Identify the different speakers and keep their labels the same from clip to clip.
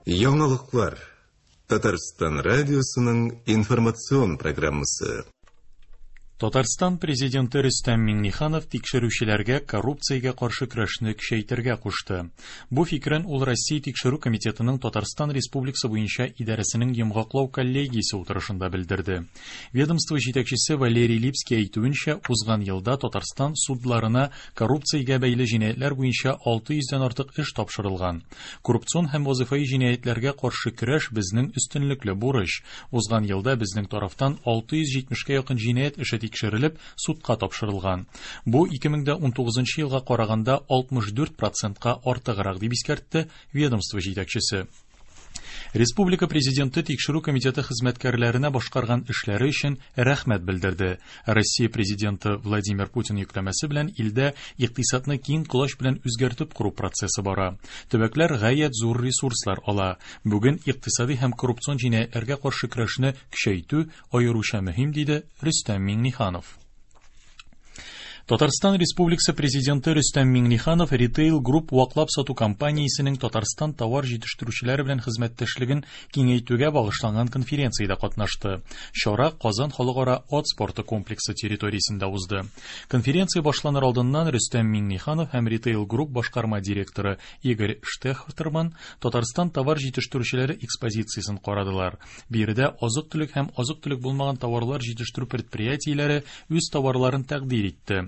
Speaker 1: Яңалыклар. Татарстан радиосының информацион программасы.
Speaker 2: Татарстан Президенты Рөстәм Миңнеханов тикшерүчеләргә коррупциягә каршы көрәшне көчәйтергә кушты. Бу фикерен ул Россия Тикшерү комитетының Татарстан Республикасы буенча идарәсенең йомгаклау коллегиясе утырышында белдерде. Ведомство җитәкчесе Валерий Липский әйтүенчә, узган елда Татарстан судларына коррупциягә бәйле җинаятьләр буенча 600 дән артык эш тапшырылган. Коррупцион һәм вазыйфаи җинаятьләргә каршы көрәш безнең өстенлекле бурыч. Узган елда безнең тарафтан 670 кә якын җинаять эше тикшерелеп, судка тапшырылган. Бу 2019 елга караганда 64 процентка артыграк, дип искәртте ведомство җитәкчесе. Республика Президенты Тикшерү комитеты хезмәткәрләренә башкарган эшләре өчен рәхмәт белдерде. Россия Президенты Владимир Путин йөкләмәсе белән илдә икътисадны киң колач белән үзгәртеп кору процессы бара. Төбәкләр гаять зур ресурслар ала. Бүген икътисади һәм коррупцион җинаятьләргә каршы көрәшне көчәйтү аеруча мөһим, диде Рөстәм Миңнеханов. Татарстан Республикасы Президенты Рөстәм Миңнеханов Retail Group ваклап сату компаниясенең Татарстан товар җитештерүчеләре белән хезмәттәшлеген киңәйтүгә багышланган конференциядә катнашты. Чара Казан халыкара ат спорты комплексы территориясендә узды. Конференция башланыр алдыннан Рөстәм Миңнеханов һәм Retail Group башкарма директоры Игорь Штехтерман Татарстан товар җитештерүчеләре экспозициясен карадылар. Биредә азык-төлек һәм азык-төлек булмаган товарлар җитештерү предприятиеләре үз товарларын тәкъдир итте.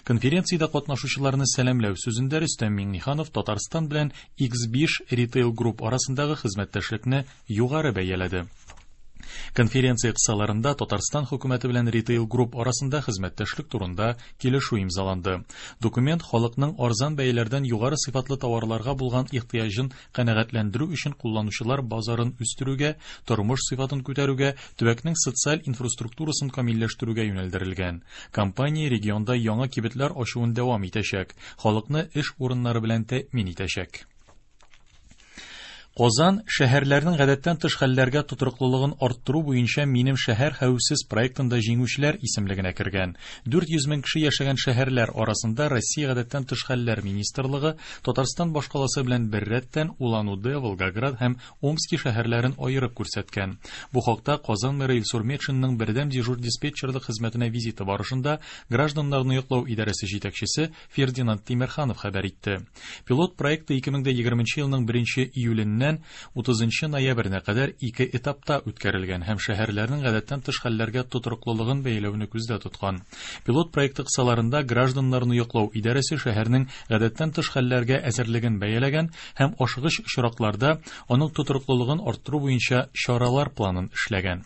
Speaker 2: Конференциядә катнашучыларны сәламләү сүзендә Рөстәм Миңнеханов Татарстан белән X5 Retail Group арасындагы хезмәттәшлекне югары бәяләде. Конференция кысаларында Татарстан хөкүмәте белән Retail Group арасында хезмәттәшлек турында килешү имзаланды. Документ халыкның арзан бәяләрдән югары сыйфатлы товарларга булган ихтыяҗын канәгатьләндерү өчен кулланучылар базарын үстерүгә, тормыш сыйфатын күтәрүгә, төбәкнең социаль инфраструктурасын камилләштерүгә юнәлдерелгән. Компания регионда яңа кибетләр ачуын дәвам итәчәк, халыкны эш урыннары белән тәэмин итәчәк. Казан шәһәрләрнең гадәттән тыш хәлләргә тотрыклылыгын арттыру буенча Минем шәһәр хәвефсез проектында җиңүчеләр исемлегенә кергән. 400 мең кеше яшәгән шәһәрләр арасында Россия гадәттән тыш хәлләр министрлыгы Татарстан башкаласы белән беррәттән Улан-Удэ, Волгоград һәм Омски шәһәрләрен аерып күрсәткән. Бу хакта Казан мэры Илсур Метшинның бердәм дежур диспетчерлык хезмәтенә визиты барышында гражданнарны яклау идарәсе җитәкчесе Фердинанд Тимерханов хәбәр итте. Пилот проекты 2020 елның 1 июленнән 30 ноябренә кадәр ике этапта үткәрелгән һәм шәһәрләрнең гадәттән тыш хәлләргә тотрыклылыгын бәяләүне күздә тоткан. Пилот проекты кысаларында гражданнарны яклау идарәсе шәһәрнең гадәттән тыш хәлләргә әзерлеген бәяләгән һәм ашыгыч очракларда аның тотрыклылыгын арттыру буенча чаралар планын эшләгән.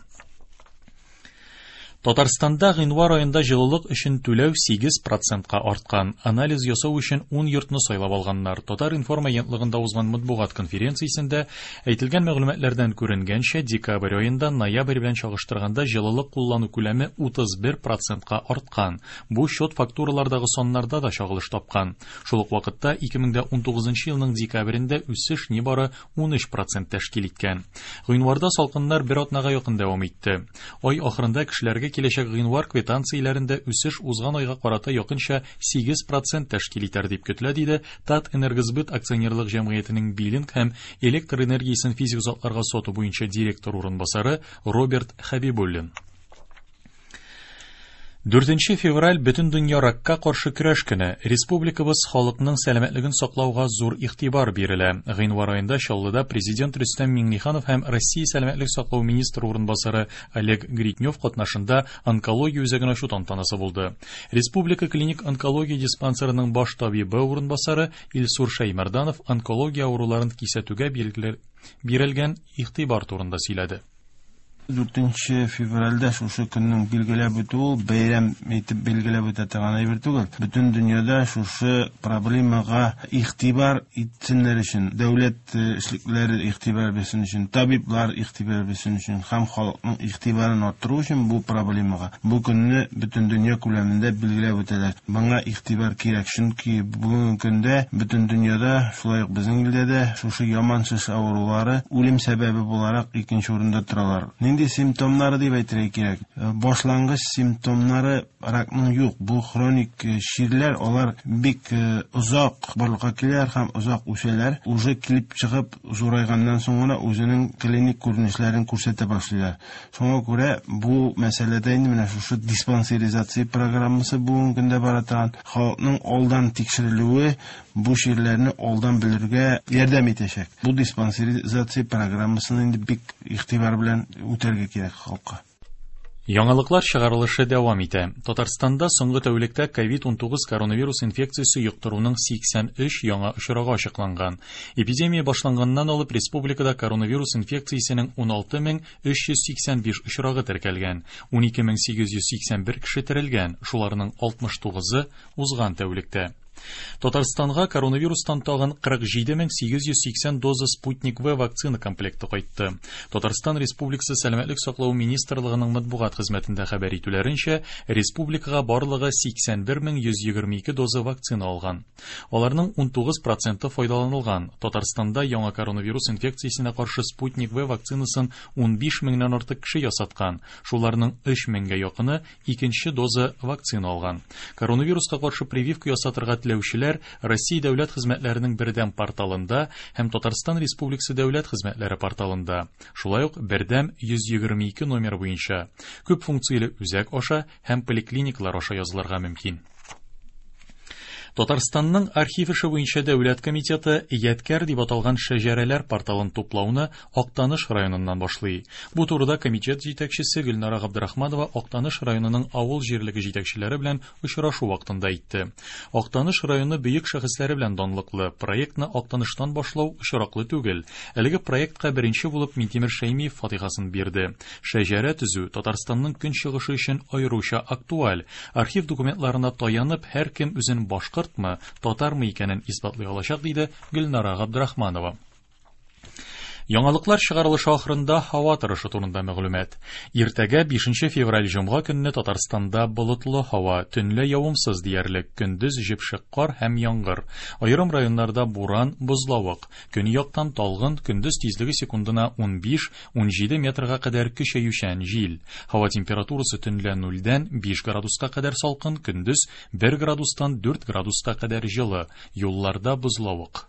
Speaker 2: Татарстанда гыйнвар аенда җылылык өчен түләү 8 процентка арткан. Анализ ясау өчен 10 йортны сайлап алганнар. Татар-информ агентлыгында узган матбугат конференциясендә әйтелгән мәгълүматлардан күренгәнчә, декабрь аенда ноябрь белән чагыштырганда җылылык куллану күләме 31 процентка арткан. Бу счет-фактуралардагы саннарда да чагылыш тапкан. Шул ук вакытта 2019 елның декабрендә үсеш нибары 13 процент тәшкил иткән. Гыйнварда салкыннар бер атнага якын дәвам итте. Ай ахырында кешеләргә киләчәк гыйнвар квитанцияләрендә үсеш узган айга карата якынча 8 процент тәшкил итәр дип көтелә, диде Татэнергосбыт акционерлык җәмгыятенең биллинг һәм электр энергиясен физик затларга сату буенча директор урынбасары Роберт Хәбибуллин. 4 февраль Бөтендөнья ракка каршы көрәш көне. Республикабыз халыкның сәламәтлеген саклауга зур игътибар бирелә. Гыйнвар аенда Чаллыда Президент Рөстәм Миңнеханов һәм Россия сәламәтлек саклау министры урынбасары Олег Гриднев катнашында онкология үзәген ачу тантанасы булды. Республика клиник онкология диспансерының баш табибы урынбасары Илсур Шәймәрданов онкология авыруларын кисәтүгә бирелгән игътибар турында сөйләде.
Speaker 3: 4 февральдә шушы көннең билгеләп үтү ул бәйрәм итеп билгеләп үтә торган әйбер түгел. Бөтен дөньяда шушы проблемага игътибар итсеннәр өчен, дәүләт эшлеклеләре игътибар бирсен өчен, табиблар игътибар бирсен өчен һәм халыкның игътибарын арттыру өчен бу проблемага бу көнне бөтен дөнья күләмендә билгеләп үтәләр. Моңа игътибар кирәк, чөнки бүгенге көндә бөтен дөньяда, шулай ук безнең илдә дә шушы яман шеш авырулары үлем сәбәбе буларак икенче урында торалар. Нинди симптомнары дип әйтергә кирәк? Башлангыч симптомнары ракның юк. Бу хроник чирләр, алар бик озак барлыкка киләләр һәм озак үсәләр. Уже килеп чыгып зурайганнан соң гына үзенең клиник күренешләрен күрсәтә башлыйлар. Шуңа күрә бу мәсьәләдә инде менә шушы диспансеризация программасы бүгенге көндә бара торган халыкның алдан тикшерелүе бу чирләрне алдан белергә ярдәм итәчәк. Бу диспансеризация программасын инде бик игътибар белән үтәргә кирәк халыкка.
Speaker 2: Яңалыклар чыгарылышы дәвам итә. Татарстанда соңгы тәүлектә COVID-19 коронавирус инфекциясе йоктыруның 83 яңа очрагы ачыкланган. Эпидемия башланганнан алып республикада коронавирус инфекциясенең 16385 очрагы теркәлгән. 12881 кеше терелгән, шуларның 69-ы узган тәүлектә. Татарстанга коронавирустан тагын 47880 доза Спутник В вакцина комплекты кайтты. Татарстан Республикасы Сәламәтлек саклау министрлыгының матбугат хезмәтендә хәбәр итүләренчә, республикага барлыгы 81122 доза вакцина алган. Аларның 19% файдаланылган. Татарстанда яңа коронавирус инфекциясенә каршы Спутник В вакцинасын 15 меңнән артык кеше ясаткан. Шуларның 3 меңгә якыны икенче доза вакцина алган. Коронавируска каршы прививка ясатырга теләүчеләр Россия дәүләт хезмәтләренең бердәм порталында һәм Татарстан Республикасы дәүләт хезмәтләре порталында, шулай ук бердәм 122 номер буенча күп функцияле үзәк аша һәм поликлиникалар аша язылырга мөмкин. Татарстанның архив эше буенча дәүләт комитеты Ядкәр дип аталган шәҗәрәләр порталын туплауны Актаныш районыннан башлый. Бу турыда комитет җитәкчесе Гөлнара Габдрахманова Актаныш районының авыл җирлеге җитәкчеләре белән очрашу вакытында әйтте. Актаныш районы бөек шәхесләре белән данлыклы. Проектны Актаныштан башлау очраклы түгел. Әлеге проектка беренче булып Минтимер Шәймиев фатихасын бирде. Шәҗәрә төзү Татарстанның көнчыгышы өчен аеруча актуаль. Архив документларына таянып, һәркем үзен башкортмы, татармы икәнен исбатлый алачак, диде Гөлнара Габдрахманова. Яңалыклар чыгарылышы ахырында һава торышы турында мәгълүмат. Иртәгә 5 февраль җомга көнне Татарстанда болытлы һава, төнлә явымсыз диярлек, көндез җепшек кар һәм яңгыр. Аерым районнарда буран, бозлавык. Көньяктан талгын, көндез тизлеге секундына 15-17 метрга кадәр көчәючән җил. Һава температурасы төнлә 0-дән 5 градуска кадәр салкын, көндез 1 градустан 4 градуска кадәр җылы. Юлларда бозлавык.